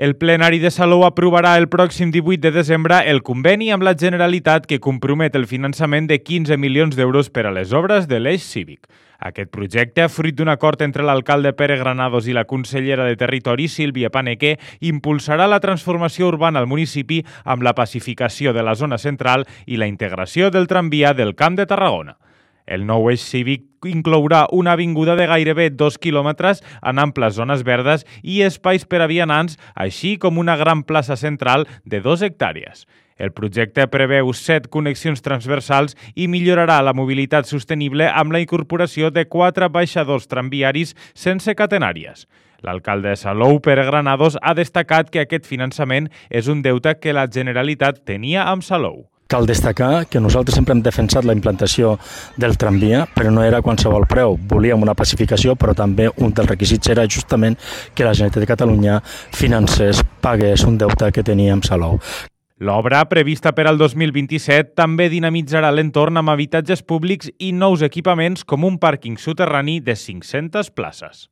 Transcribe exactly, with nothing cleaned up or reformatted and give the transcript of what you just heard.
El plenari de Salou aprovarà el pròxim divuit de desembre el conveni amb la Generalitat que compromet el finançament de quinze milions d'euros per a les obres de l'eix cívic. Aquest projecte, fruit d'un acord entre l'alcalde Pere Granados i la consellera de Territori, Sílvia Paneque, impulsarà la transformació urbana al municipi amb la pacificació de la zona central i la integració del tramvia del Camp de Tarragona. El nou eix cívic inclourà una avinguda de gairebé dos quilòmetres en amples zones verdes i espais per a vianants, així com una gran plaça central de dos hectàrees. El projecte preveu set connexions transversals i millorarà la mobilitat sostenible amb la incorporació de quatre baixadors tramviaris sense catenàries. L'alcalde de Salou, Pere Granados, ha destacat que aquest finançament és un deute que la Generalitat tenia amb Salou. Cal destacar que nosaltres sempre hem defensat la implantació del tramvia, però no era a qualsevol preu. Volíem una pacificació, però també un dels requisits era justament que la Generalitat de Catalunya financés, pagués un deute que tenia amb Salou. L'obra, prevista per al dos mil vint-i-set, també dinamitzarà l'entorn amb habitatges públics i nous equipaments com un pàrquing soterrani de cinc-centes places.